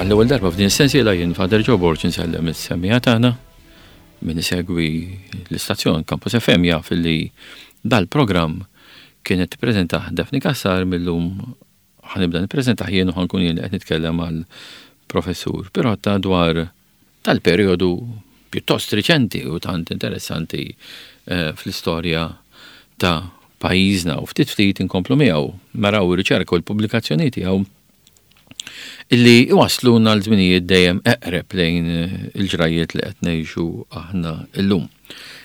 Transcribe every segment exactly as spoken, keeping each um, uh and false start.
Għall-ewwel darba f'din is-sensiela jien Father Joe Borg insellem is-semmiegħa tagħna min isegwi l-istazzjon Campus FM jaf li dal-programm kienet tippreżentah Daphne Cassar mil-lum ħa nibda nippreżentah jien u ħa nkun jien qed nitkellem għal professur Pirotta dwar tal-perjodu pjuttost riċenti u tant interessanti eh, fl-istorja ta' pajjiżna u ftit ftit inkomplu miegħu naraw ir-riċerka u l-pubblikazzjoni tiegħu illi iwasluna l-żminijiet dejjem eqreb lejn il-ġrajiet li qed ngħixu aħna illum.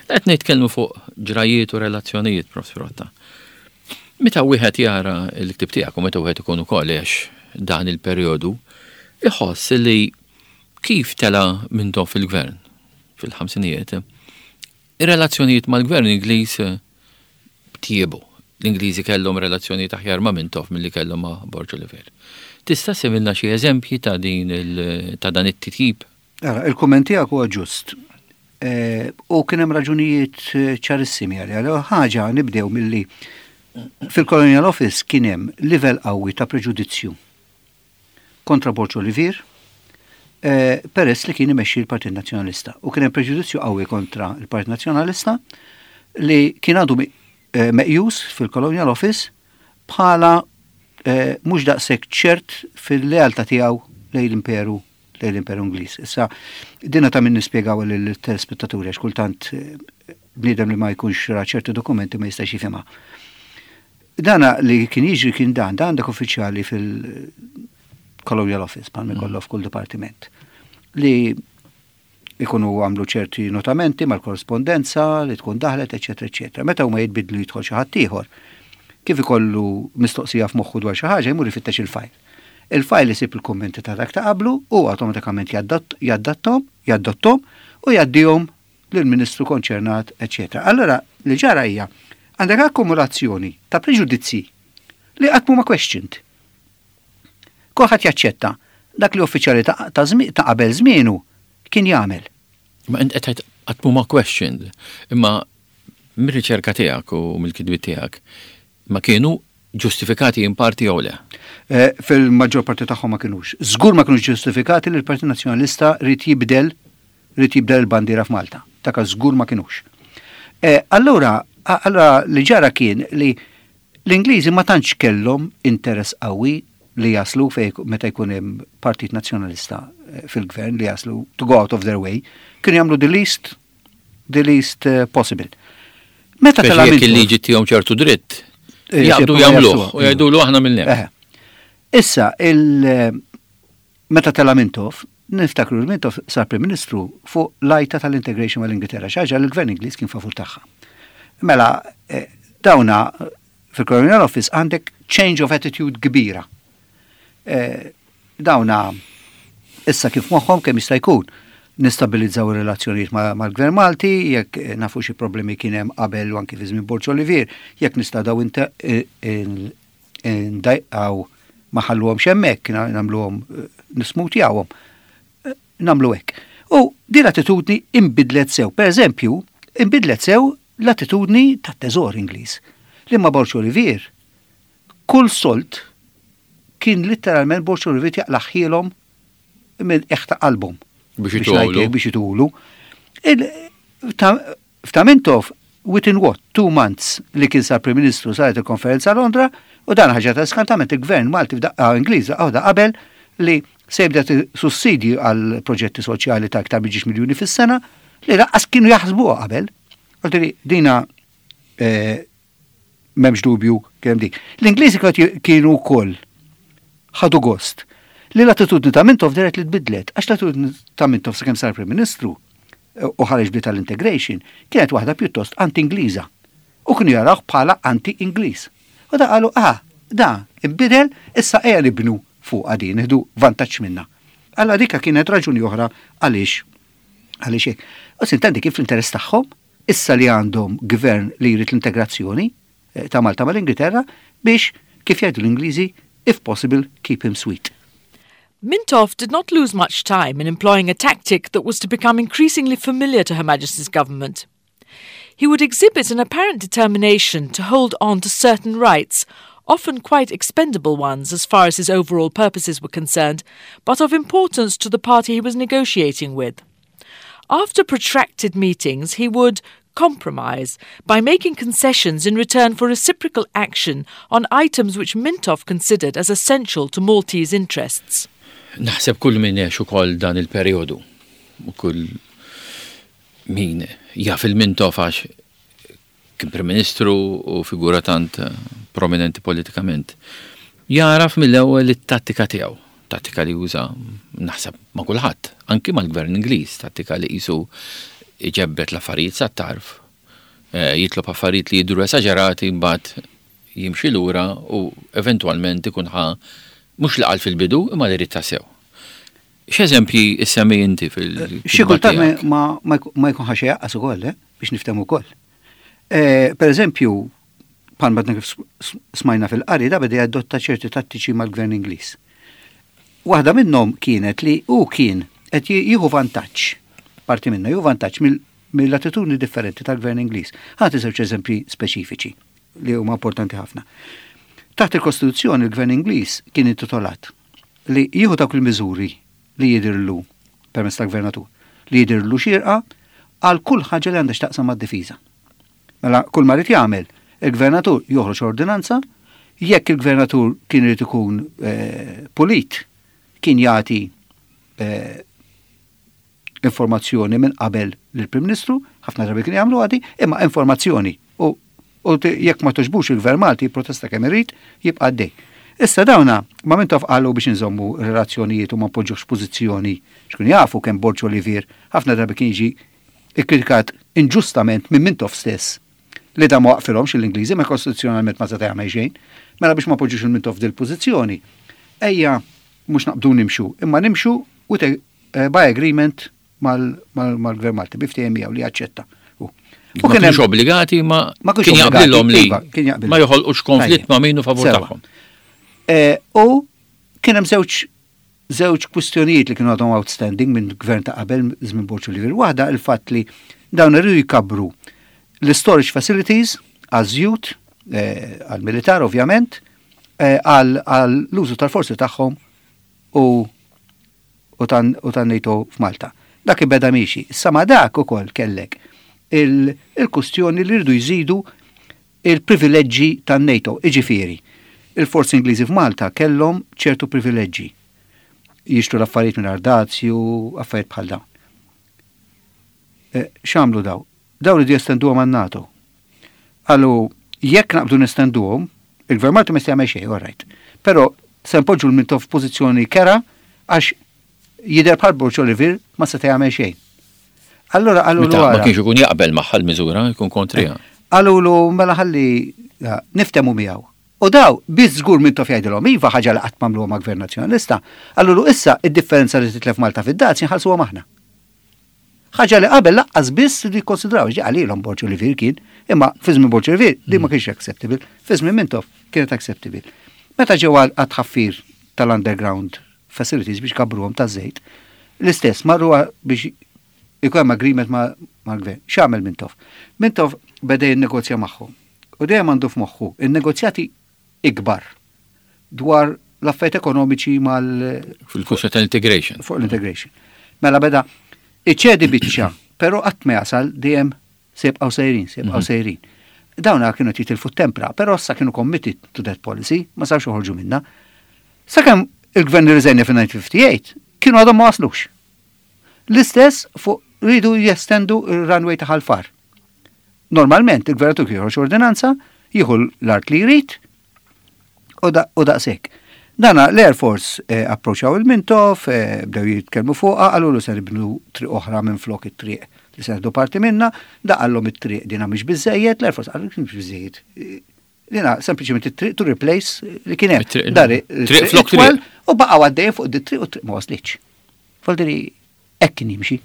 Qed nitkellmu fuq ġrajiet u relazzjonijiet, Prof. Pirotta. Meta wieħed jara l-ktib tiegħek u meta wieħed ikun ukoll għex dan il-perjodu, iħoss li kif tela Mintoff fil-gvern fil-ħamsinijiet, ir-relazzjonijiet mal-gvern Ingliż tjiebu. L-Ingliżi kellhom relazzjonijiet aħjar ma' Mintoff milli kellhom ma' Borg Olivier. Tista' ssemmilna xi eżempji ta' din ta' dan it-titjib? Ara, il-kumment tiegħek huwa ġust. E, u kien hemm raġunijiet ċarissimi għalih. Ħaġa nibdew milli fil-Colonial Office kien hemm livell qawwi ta' preġudizzju kontra Borg Olivier, e, peress li kien imexxi l-Partit Nazzjonalista. U kien hemm preġudizzju qawwi kontra l-Partit Nazzjonalista li kien għadu e, meqjus fil-Colonial Office bħala eh, mhux daqshekk ċert fil-lealtà tiegħu lejn l-imperu lejn l-imperu Ingliż. Issa dina ta' min nispjegaw lill-telespettaturi għax kultant eh, bniedem li ma jkunx ra ċerti dokumenti ma jistax jifhimha. Dana li kien jiġri kien dan, dan għandek uffiċjali fil-Colonial Office, bħal ikollok f'kull dipartiment, li ikunu għamlu ċerti notamenti mal-korrespondenza li tkun daħlet, eċetera, eċetera. Meta huma jitbidlu jidħol xi ħadd ieħor, kif ikollu mistoqsija f'moħħu dwar xi ħaġa jmur ifittex il-file. Il-file isib il-kommenti ta' dak ta' qablu u awtomatikament jaddattom, jaddottom u jgħaddihom lill-ministru konċernat, eċetera. Allora, li ġara hija għandek akkumulazzjoni ta' preġudizzi li qatt ma questioned. Kulħadd jaċċetta dak li uffiċjali ta' ta' qabel żmienu kien jagħmel. Ma int qed qatt ma questioned, imma mir-riċerka tiegħek u mill-kitbiet tiegħek ma kienu ġustifikati in parti jew le? Eh, fil-maġġor parti tagħhom ma kinux. Żgur ma kinux ġustifikati li l-Partit Nazzjonalista rid jibdel rid jibdel il-bandiera f'Malta. Taka żgur ma kinux. Eh, allura, allura li ġara kien li l-Ingliżi ma tantx kellhom interess qawwi li jaslu fej meta jkun hemm Partit Nazzjonalista eh, fil-gvern li jaslu to go out of their way, kienu jagħmlu the least the least possible. Meta tela jekk il-liġi tihom ċertu dritt, eh, jaqbdu jagħmluh u jgħidulu aħna mill Issa, il meta tela Mintoff, niftakru l-Mintoff sar Prim Ministru fuq l-għajta tal-integration mal-Ingilterra, xi ħaġa l-Gvern Ingliż kien favur tagħha. Mela, eh, dawna fil-Colonial Office għandek change of attitude kbira. Eh, dawna issa kif moħħom kemm jista' jkun nistabilizzaw ir-relazzjonijiet mal-Gvern Malti, jekk nafu xi problemi kien hemm qabel u anki fi żmien Borg Olivier, jekk nista' daw ndajqaw ma ħalluhom hemmhekk, nagħmluhom nismutjawhom. Nagħmlu hekk. U din l-attitudni imbidlet sew. Per eżempju, imbidlet sew l-attitudni tat-teżor Ingliż. Li ma Borg Olivier, kull sold kien letteralment Borg Olivier jaqlagħhielhom minn eħta qalbhom. Biex itulu. Biex itulu. F'ta' Mintoff, within what, two months li kien sar Prim Ministru saret il-konferenza Londra u dan ħaġa ta' skantament il-gvern Malti f'daqqa Ingliż għawda qabel li se jibda sussidji għal proġetti soċjali ta' aktar minn miljuni fis-sena li lanqas kienu jaħsbuha qabel. Għaltiri dina eh, m'hemmx dubju kemm dik. L-Ingliżi kienu wkoll ħadu gost li l-attitudni ta' Mintoff deret li tbidlet, għax l-attitudni ta' Mintoff sakemm sar Prim Ministru eh, u ħareġ bi tal-integration kienet waħda pjuttost anti-Ingliża. U kienu jaraw bħala anti-Ingliż. U da qalu, ah, da, imbidel, issa ejja nibnu fuq għadin, nieħdu vantaġġ minna. Alla dika kienet raġuni oħra għaliex għaliex hekk. U s'intendi kif l-interess tagħhom, issa li għandhom gvern li jrid l-integrazzjoni eh, ta' Malta mal-Ingilterra biex kif jgħidu l-Ingliżi, if possible, keep him sweet. Mintoff did not lose much time in employing a tactic that was to become increasingly familiar to Her Majesty's government. He would exhibit an apparent determination to hold on to certain rights, often quite expendable ones as far as his overall purposes were concerned, but of importance to the party he was negotiating with. After protracted meetings, he would compromise by making concessions in return for reciprocal action on items which Mintoff considered as essential to Maltese interests. Naħseb kull min għex ukoll dan il-perjodu u kull min jaf lil Mintoff għax kien Prim Ministru u figura tant prominenti politikament. Jaraf mill-ewwel it-tattika tiegħu, tattika li juża naħseb ma' kulħadd, anki mal-Gvern Ingliż, tattika li qisu iġebbet l-affarijiet sa tarf, eh, jitlob affarijiet li jidru esaġerati, mbagħad jimxi lura u eventwalment ikun ħa mhux li qal fil-bidu, imma li jrid tassew. X'eżempji issemmi inti fil- Xi kultant ma, ma, ma jkun ħa xejn lanqas ukoll, eh, biex niftehmu ukoll. Eh, per eżempju, bħal ma kif smajna fil-qari, da beda jadotta ċerti tattiċi mal-gvern Ingliż. Waħda minnhom kienet li hu kien qed jieħu vantaġġ, parti minna jieħu vantaġġ mill-attitudni differenti tal-gvern Ingliż. Ħa nagħti żewġ eżempji speċifiċi li huma importanti ħafna. Taħt il-Kostituzzjoni, il-gvern Ingliż kien intitolat li jieħu dawk il-miżuri li jidirlu permezz tal-gvernatur, li jidirlu xirqa għal kull ħaġa li għandha x'taqsam mad-difiża. Mela kull ma jrid jagħmel il-gvernatur, joħroġ ordinanza. Jekk il-gvernatur kien irid ikun eh, pulit, kien jagħti eh, informazzjoni minn qabel lill-Prim Ministru, ħafna drabi kien jagħmlu għadi, imma informazzjoni. U, u jekk ma togħġbux, il-Gvern Malti protesta kemm irid, jibqa' għaddej. Issa dawna, ma Mintoff qalu biex nżommu relazzjonijiet u ma npoġġux pożizzjoni, xkun jafu kemm Borg Olivier ħafna drabi kien jiġi ikkritikat inġustament minn Mintoff stess li da ma waqfilhomx l-Ingliżi, ma kostituzzjonalment ma seta' jagħmel xejn. Mela biex ma poġġux il-Mintoff dil pożizzjoni, ejja mhux naqbdu nimxu, imma nimxu u eh, by agreement mal-Gvern Malti, bi ftehim miegħu li jaċċetta. U kien kienx obbligati, ma kien jaqblilhom li iva, ma joħolqux konflitt ma' min hu favur tagħhom. Eh, u kien hemm żewġ żewġ kwistjonijiet li kienu għadhom outstanding minn gvern ta' qabel, żmien Borg Olivier. Waħda, il-fatt li dawn irridu jkabru l-storage facilities għaż-żjut, eh, għal-militar ovvjament, eh, għall-użu tal-forzi tagħhom u u tan-NATO f'Malta. Dak ibeda miexi. Issa ma dak ukoll kellek il-kustjoni li rridu jżidu il-privileġġi tan-NATO, iġifieri. Il-forzi Ingliżi f'Malta kellhom ċertu privileġġi. Jixtru l-affarijiet minn dazju, affarijiet bħal dawn. Eh, x'għamlu daw? Daw li jestenduhom għan-NATO. Qalu, jekk naqbdu nestenduhom, il-Gvern Malti ma jagħmel xejn, all right. Però se npoġġu l-Mintoff f'pożizzjoni kerha għax jidher bħal Borg Olivier ma seta' jagħmel xejn. Allora qalu Ma kienx ikun jaqbel magħha l-miżura, jkun kontrija. Qalulu mela ħalli niftehmu miegħu. U daw, biż żgur Mintoff jgħidilhom iva, ħaġa li qatt m'għamluha ma' Gvern Nazzjonalista, qalulu issa id-differenza li titlef Malta fid-dazji nħallsuha aħna. Ħaġa li qabel lanqas biss li konsidraw, ġi għalilhom Borg Olivier kien, imma fi żmien Borg Olivier di ma kienx acceptable, fi żmien Mintoff kienet acceptable. Meta ġew għat-tħaffir tal-underground facilities biex kabruhom ta' żejt, l-istess marru biex ikun hemm agreement mal-gvern. X'għamel Mintoff? Mintoff beda jinnegozja magħhom. U dejjem għandu f'moħħu in-negozjati ikbar dwar l-affarijiet ekonomiċi mal Fil-kwistjoni tal-integration. Fuq l-integration. Mela beda iċedi biċċa, però qatt ma jasal, dejjem se jibqgħu sejrin, se jibqgħu mhm. sejrin. Dawna kienu jitilfu tempra, però issa kienu committed to that policy, ma sarx joħorġu minna. Sakemm il-gvern irriżenja fin-elf disa' mija u ħamsa u ħamsin, kienu għadhom ma waslux. L-istess fuq rridu jestendu il-runway ta' Ħal Far. Normalment il-gvernatur joħroġ ordinanza, jieħu l-art li jrid u daqshekk. Dana l-Air Force eh, approċaw il-Mintoff, eh, bdew jitkellmu fuqha, qalulu se nibnu triq oħra minn flok it-triq li se parti minna, da qallhom it-triq dina mhix biżejjed, l-Air Force qallu mhix biżejjed. Dina sempliċement it-triq to replace li kien hemm. Dari triq flok triq. U baqgħu għaddejjin fuq it-triq u triq ma waslitx. Voldiri hekk kien jimxi.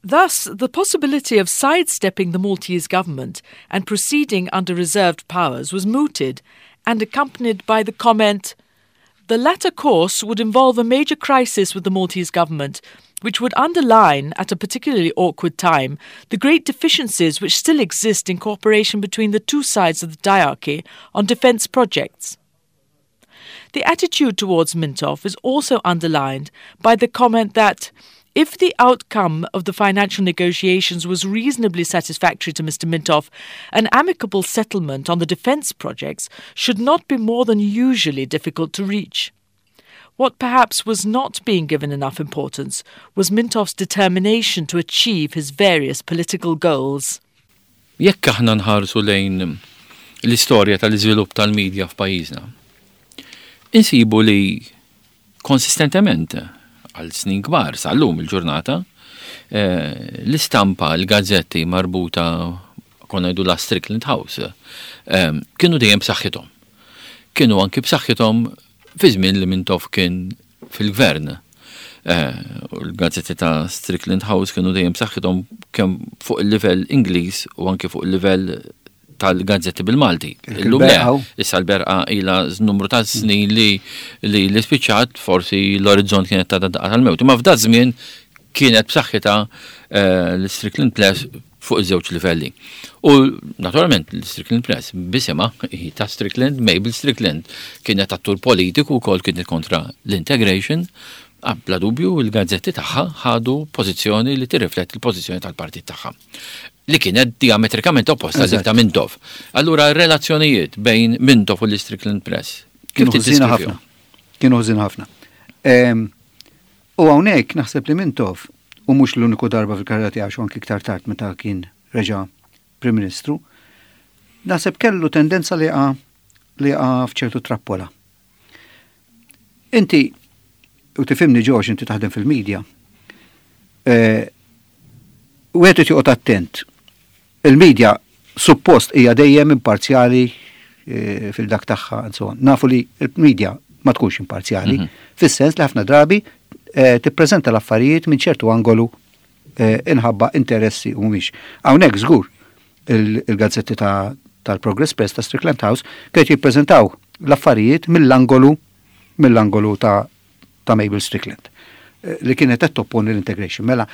Thus, the possibility of sidestepping the Maltese government and proceeding under reserved powers was mooted and accompanied by the comment, "The latter course would involve a major crisis with the Maltese government, which would underline, at a particularly awkward time, the great deficiencies which still exist in cooperation between the two sides of the diarchy on defence projects." The attitude towards Mintoff is also underlined by the comment that if the outcome of the financial negotiations was reasonably satisfactory to Mister Mintoff, an amicable settlement on the defence projects should not be more than usually difficult to reach. What perhaps was not being given enough importance was Mintoff's determination to achieve his various political goals. Jekk aħna nħarsu lejn l-istorja tal-iżvilupp tal-medja f'pajjiżna, insibu li konsistentement għal snin kbar sal-lum il-ġurnata, eh, l-istampa, l-gazzetti marbuta konna ngħidu la Strickland House, eh, kienu dejjem b'saħħithom. Kienu anki b'saħħithom fi żmien li Mintoff kien fil-gvern. Eh, u l-gazzetti ta' Strickland House kienu dejjem b'saħħithom kemm fuq il-livell Ingliż u anki fuq il-livell tal-gazzetti bil-Malti. Illum le, issa l-Berqa ila numru ta' snin li li li spiċċat, forsi l-Orizzont kienet ta' daqqa tal-mewt. Ma f'da żmien kienet b'saħħitha eh, l-Strickland Press fuq iż-żewġ livelli. U naturalment l-Strickland Press b'isimha hi ta' Strickland, Mabel Strickland, kienet attur politiku wkoll, kienet kontra l-integration. Ah, bla dubju il-gazzetti tagħha ħadu pożizzjoni li tirrifletti l-pożizzjoni tal-partit tagħha, li kienet diametrikament opposta dik ta' Mintoff. Allura r-relazzjonijiet bejn Mintoff u l-Strickland Press kif Kienu ħżina tiddeskrivihom? ħafna. Kienu ħżin ħafna. Em, U hawnhekk naħseb li Mintoff, u mhux l-uniku darba fil-karriera tiegħu, anki iktar tard meta kien reġa' Prim Ministru, naħseb kellu tendenza li jaqa' li jaqa' f'ċertu trappola. Inti, u tifhimni Ġoġ, inti taħdem fil-medja, eh, wieħed irid joqgħod attent. Il-medja suppost hija dejjem imparzjali eh, fil-dak tagħha and so on. Nafu li il-medja ma tkunx imparzjali, fis-sens li ħafna drabi eh, tippreżenta l-affarijiet minn ċertu angolu eh, inħabba interessi u mhumiex. Hawnhekk żgur il- il-gazzetti ta' tal-Progress Press ta' Strickland House kienet jippreżentaw l-affarijiet mill-angolu mill-angolu ta' ta' Mabel Strickland eh, li kienet qed topponi l-integration. Mela,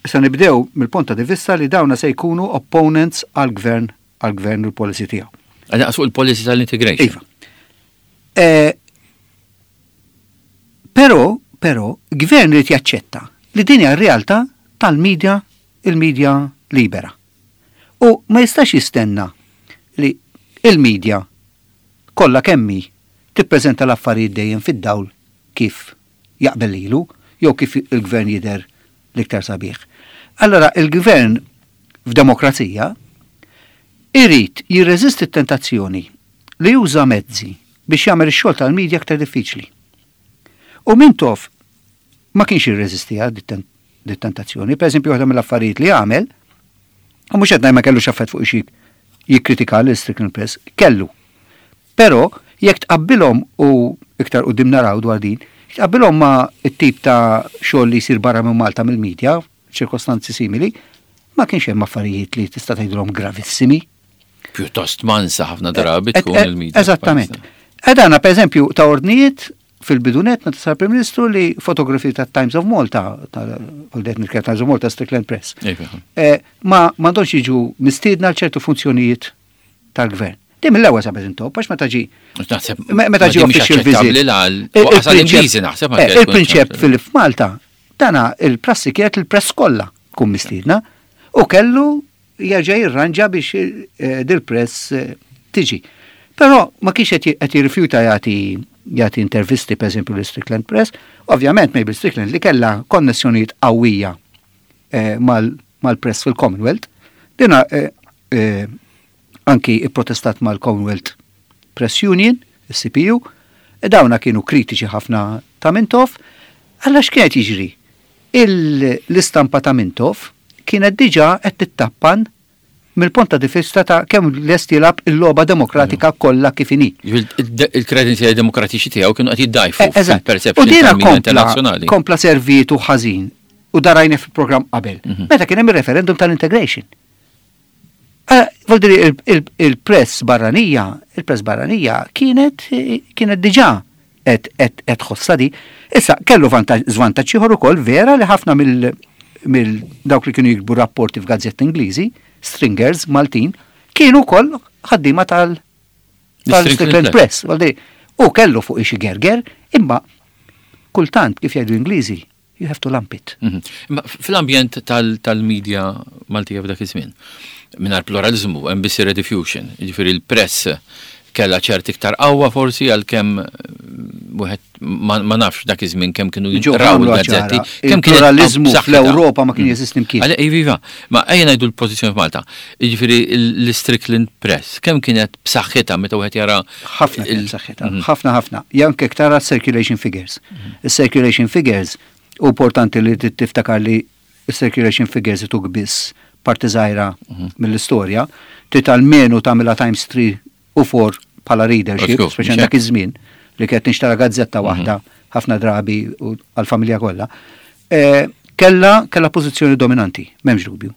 se nibdew mill-punt di vista li dawna se jkunu opponents għal-gvern għal-gvern u l-policy tiegħu. Għal fuq il-policy tal-integration. Iva. Eh, Però, però, gvern irid jaċċetta li din hija r-realtà tal-medja, il-medja libera. U ma jistax jistenna li il-medja kollha kemm hi tippreżenta l-affarijiet dejjem fid-dawl kif jaqbel lilu jew kif il-gvern jidher l-iktar sabiħ. Allora il-gvern f'demokrazija irid jirreżisti t-tentazzjoni li juża mezzi biex jagħmel ix-xogħol tal-medja aktar diffiċli. U Mintoff ma kienx jirreżistiha dit-tentazzjoni. Per eżempju, waħda mill-affarijiet li għamel, u mhux qed ngħid ma kellux affett fuq xi jikkritika l-Strickland Press, kellu. Però jekk tqabbilhom, u iktar quddiem naraw dwar din, tqabbilhom ma' t-tip ta' xogħol li jsir barra minn Malta mill-medja, ċirkostanzi simili, ma kienx hemm affarijiet li tista' tgħidilhom gravissimi. Pjuttost mansa ħafna drabi Et- tkun et- il-medja. Eżattament. Edana, per eżempju, ta ordnijiet fil-bidunet meta sar Prim Ministru li fotografi ta' Times of Malta, ta' Times of Malta, Strickland Press, Iva. eh, ma m'għandhomx jiġu mistiedna għal ċertu funzjonijiet tal-gvern. Din mill-ewwel sabet intop, għax meta ġi Naħseb Me- meta ġi ma di mhix official visit. aċċettabbli l- Il- waqas il-prinċep- għall-Ingliżi naħseb eh, anke tkun Il-prinċep aċċettabbli. fil Malta, dana il-prassi kienet il-press kollha tkun mistiedna u kellu jerġa' jirranġa biex eh, dil-press eh, tiġi. Però ma kienx qed qed jirrifjuta jagħti jagħti intervisti, per eżempju, l-Strickland Press, ovvjament Mabel Strickland li kellha konnessjonijiet qawwija eh, mal- mal-press fil-Commonwealth, dina eh, eh, anki protestat mal-Commonwealth Press Union, il-C P U, e dawna kienu kritiċi ħafna ta' Mintoff. Għalla x'kienet jiġri? Il- L-istampa ta' Mintoff kienet diġà qed tittappan mill-punt di vista ta' kemm lest jilgħab il-logħba demokratika kollha kif inhi. Il-kredenzjali demokratiċi tiegħu kienu qed jiddajfu Eh, eżatt. U fil-perception dina tal-medja kompla, internazzjonali. kompla servitu ħażin u darajna fil-programm qabel. Mhm. Meta kien hemm il-referendum tal-integration. Eh, Vuol dire il- il- il-press barranija, il-press barranija kienet kienet diġà qed qed qed tħossha di. Issa kellu vantaġġ żvantaġġ ieħor ukoll, vera li ħafna mill mill dawk li kienu jiktbu rapporti f'gazzetti Ingliżi, stringers Maltin, kienu wkoll ħaddiema tal L-Strickland tal-Strickland Press. Vuol dire, U kellu fuq xi gerger, imma kultant, kif jgħidu Ingliżi, you have to lump it. Mhm. Imma fl-ambjent tal-media Maltija f'dak iż-żmien, mingħajr pluralizmu, hemm biss rediffusion, jiġifieri l-press kella ċert iktar qawwa forsi, għalkemm wieħed ma nafx dak iż-żmien kemm kienu jinqraw il-gazzetti. Kemm kien pluralizmu fl-Ewropa ma kien jeżisti mkien. Għale, iva, ma ejja ngħidu l-pożizzjoni f'Malta. Jiġifieri l-Strickland Press, kemm kienet b'saħħitha meta wieħed jara? Ħafna kienet b'saħħitha, ħafna ħafna. Janke tara circulation figures. Il-circulation figures, u importanti li tiftakar li il-circulation figures ituk biss parti żgħira mill-istorja, trid almenu tagħmilha times three u four bħala readership, speċjalment dak iż-żmien li kienet nixtara gazzetta waħda ħafna drabi u għal-familja kollha. Kella kella pożizzjoni dominanti, m'hemmx dubju.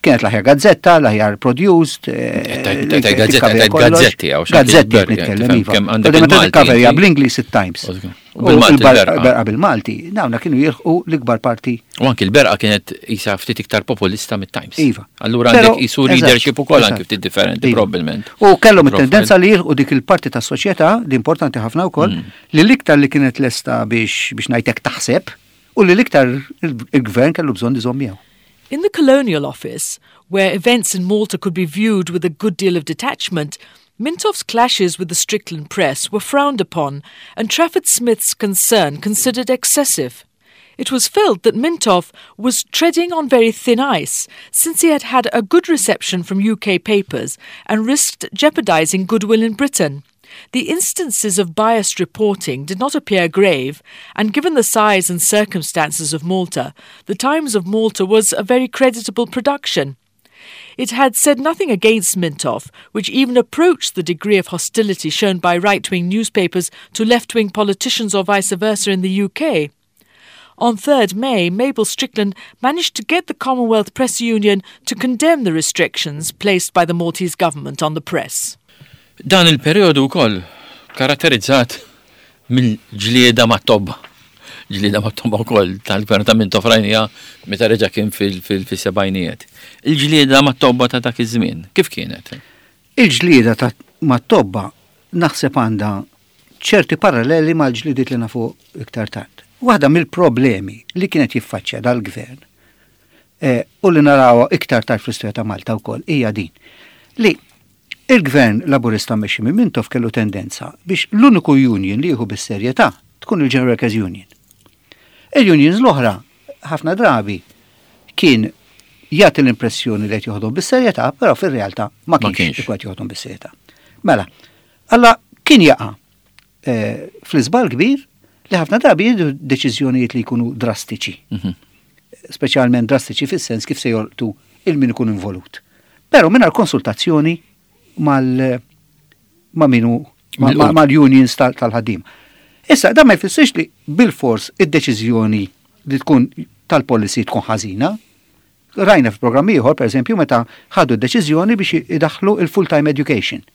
Kienet l-aħjar gazzetta, l-aħjar produced. Gazzetta, gazzetti, Gazzetti nitkellem, iva. Meta bl-Ingliż it-Times. U bil-Berqa bil-Malti, dawna kienu jilħqu l-ikbar parti. U anki l-Berqa kienet isa ftit iktar populista mit-Times. Iva. Allura għandek isu readership ukoll anki ftit differenti probabbilment. U kellhom it-tendenza li jilħqu dik il-parti tas soċjetà li importanti ħafna wkoll, li l-iktar li kienet lesta biex biex ngħidlek taħseb u li l-iktar il-gvern kellu bżonn iżomm miegħu. In the Colonial Office, where events in Malta could be viewed with a good deal of detachment, Mintoff's clashes with the Strickland Press were frowned upon and Trafford Smith's concern considered excessive. It was felt that Mintoff was treading on very thin ice, since he had had a good reception from U K papers and risked jeopardizing goodwill in Britain. The instances of biased reporting did not appear grave, and given the size and circumstances of Malta, the Times of Malta was a very creditable production. It had said nothing against Mintoff, which even approached the degree of hostility shown by right-wing newspapers to left-wing politicians or vice versa in the U K. On third May, Mabel Strickland managed to get the Commonwealth Press Union to condemn the restrictions placed by the Maltese government on the press. Dan il-periodu wkoll karatterizzat mill-ġlieda mat-tobba. Ġlieda mat-tobba wkoll tal-gvern ta' Mintoff rajnieha meta reġa' kien fil-sebgħinijiet. Il-ġlieda mat-tobba ta' dak iż-żmien, kif kienet? Il-ġlieda ta' mat-tobba naħseb għandha ċerti paralleli mal-ġlidiet li nafu iktar tard. Waħda mill-problemi li kienet jiffaċċja dal-gvern eh, u li naraw iktar tard fl-istorja ta' Malta wkoll hija din li il-gvern Laburista mmexxi minn Mintoff kellu tendenza biex l-uniku union li jieħu bis-serjetà tkun il-General Workers Union. Il-unions l-oħra ħafna drabi kien jagħti l-impressjoni li qed joħodhom bis-serjetà, però fir-realtà ma kienx ikun qed joħodhom bis-serjetà. Mela, alla kien jaqa' eh, fl-iżbal kbir li ħafna drabi jieħdu deċiżjonijiet li jkunu drastiċi. Mhm. Speċjalment drastiċi fis-sens kif se jolqtu il min ikun involut. Però mingħajr konsultazzjoni mal ma minu mal-unions tal-ħaddim. Issa, dan ma jfissirx li bil-fors id-deċiżjoni li tkun tal-policy tkun ħażina. Rajna f'programmi ieħor, per eżempju, meta ħadu d-deċiżjoni biex idaħlu il-full-time education.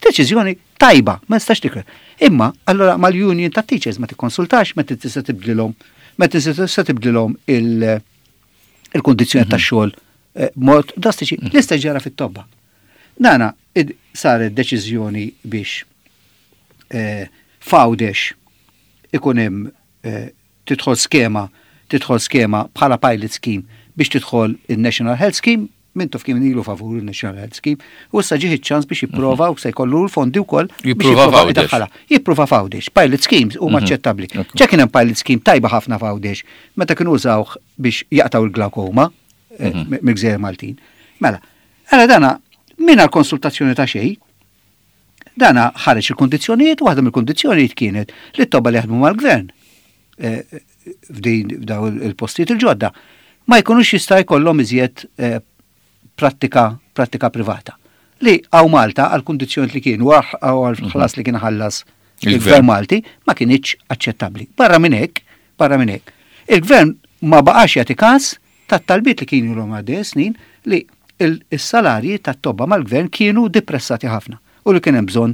Deċiżjoni tajba, ma nistax tikre. Imma, allora mal-union ta' teachers ma tikkonsultax, ma tista' tibdilhom, ma tista' tibdilhom il-kondizzjoni tax-xogħol eh, mod drastiċi. L-istess ġara fit-tobba. Nana, saret deċiżjoni biex eh, f'Għawdex ikun hemm eh, tidħol skema, tidħol skema bħala pilot scheme biex tidħol il-National Health Scheme. Mintoff kien ilu favur il-National Health Scheme u issa ġieħ ċans biex jipprova u se jkollu l-fondi wkoll biex Jipprova jipprova f'Għawdex. idaħħalha. Jipprova f'Għawdex. Pilot schemes huma aċċettabbli. Ġa kien hemm pilot scheme tajba ħafna f'Għawdex meta kienu użawh biex jaqtaw il-glaukoma eh, mill-Gżejjer Maltin. Mela, għala dana mingħajr konsultazzjoni ta' xejn, dana ħareġ il-kondizzjonijiet, u waħda mill-kondizzjonijiet kienet li t-tobba li jaħdmu mal-gvern eh, f'din f'daw il-postijiet il-ġodda ma jkunux jista' jkollhom iżjed eh, prattika prattika privata. Li hawn Malta għal kundizzjonijiet li kienu għal għal ħlas li kien ħallas il-gvern. Il-gvern Malti ma kienx aċċettabbli. Barra minn hekk, barra minn hekk, il-gvern ma baqax jagħti każ tat-talbiet li kienu l għaddej snin li il- is-salarji tat-tobba mal-gvern kienu depressati ħafna u li kien hemm bżonn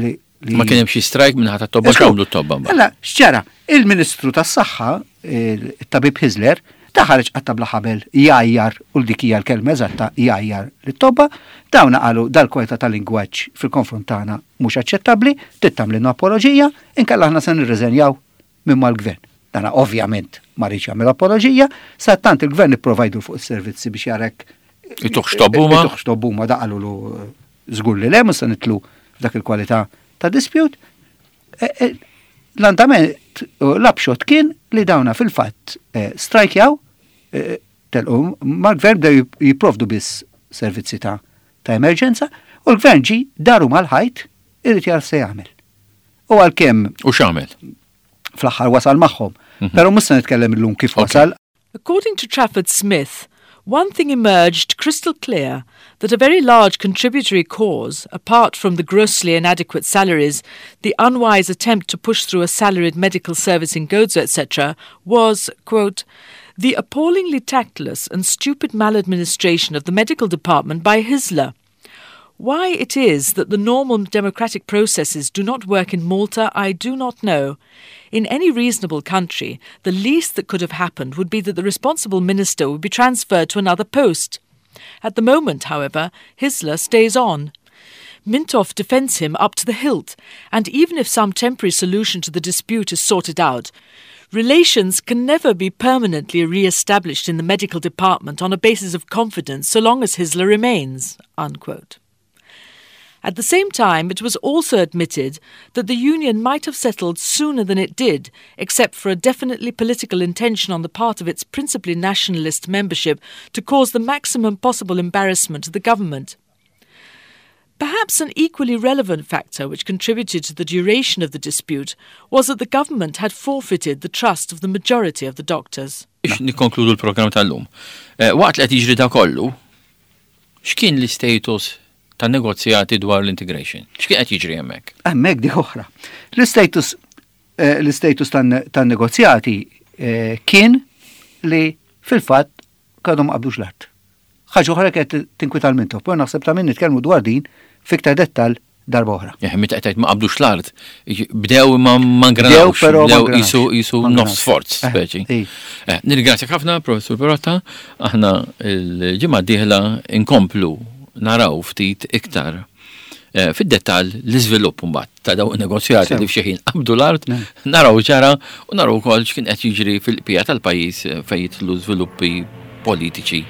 li li- Ma kien hemm xi strajk minn ħadd tobba Esku, x'għamlu t-tobba mbagħad? Alla, x'ġara, il-Ministru tas-Saħħa, il-Tabib Hyzler, Ta' ħareġ qatta bla ħabel jgħajjar, u dik hija l-kelma eżatta, jgħajjar lit-tobba. Dawn qalu dal-kwalità tal-lingwaġġ fil-konfront tagħna mhux aċċettabbli, trid tagħmlilna apoloġija, inkella aħna se nirriżenjaw minn mal-gvern. Dana ovvjament ma riedx jagħmel apoloġija, sa tant il-gvern ipprova jdur fuq is-servizzi biex jarek Ituh x'tobhuma? Ituh x'tobhuma, da qalulu żgur li le, mhux se nidħlu f'dak il-kwalità ta' dispute. E, e, L-andament, l-upshot kien li dawna fil-fatt eh, strajkjaw, eh, telqu mal-gvern, bdew jipprovdu biss servizzi ta' ta' emerġenza u l-gvern ġi daru mal-ħajt, irid jara se jagħmel. U għalkemm U x'għamel? Fl-aħħar wasal magħhom. Però mhux se nitkellem illum kif wasal. According to Trafford Smith, one thing emerged crystal clear: that a very large contributory cause, apart from the grossly inadequate salaries, the unwise attempt to push through a salaried medical service in Gozo, et cetera, was, quote, the appallingly tactless and stupid maladministration of the medical department by Hyzler. Why it is that the normal democratic processes do not work in Malta, I do not know. In any reasonable country, the least that could have happened would be that the responsible minister would be transferred to another post. At the moment, however, Hyzler stays on. Mintoff defends him up to the hilt, and even if some temporary solution to the dispute is sorted out, relations can never be permanently re established in the medical department on a basis of confidence so long as Hyzler remains. Unquote. At the same time, it was also admitted that the union might have settled sooner than it did, except for a definitely political intention on the part of its principally nationalist membership to cause the maximum possible embarrassment to the government. Perhaps an equally relevant factor which contributed to the duration of the dispute was that the government had forfeited the trust of the majority of the doctors. Biex nikkonkludu l-programm tal-lum. Eh, Waqt li qed jiġri da kollu, x'kien l-status ta' negozjati dwar l-integration? X'kien qed jiġri hemmhekk? Hemmhekk di oħra. L-status eh, l-status tan-negozjati eh, kien li fil-fatt għadhom qabdux l-art. Ħaġa oħra kienet tinkwita l-Mintoff, poi naħseb ta' min nitkellmu dwar din fiktar dettal darba oħra. Eh, meta qed ma qabdux l-art, bdew ma ma ngranawx, però ma bdew ngranawx. jisu jisu Ma nofs ngranawx. sforz, Eh, speċi. ej. Eh, Nirringrazzjak ħafna, Professur Perotta, aħna l-ġimgħa d-dieħla inkomplu naraw ftit iktar eh, fid-dettall l-iżvilupp mbagħad ta' dawn negozjati Sew. li f'xi ħin qabdu l-art, naraw ġara u naraw ukoll x'kien qed jiġri fil-qbija tal-pajjiż eh, fejn jidħlu żviluppi politiċi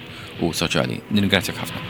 u soċjali. Nirringrazzjak ħafna.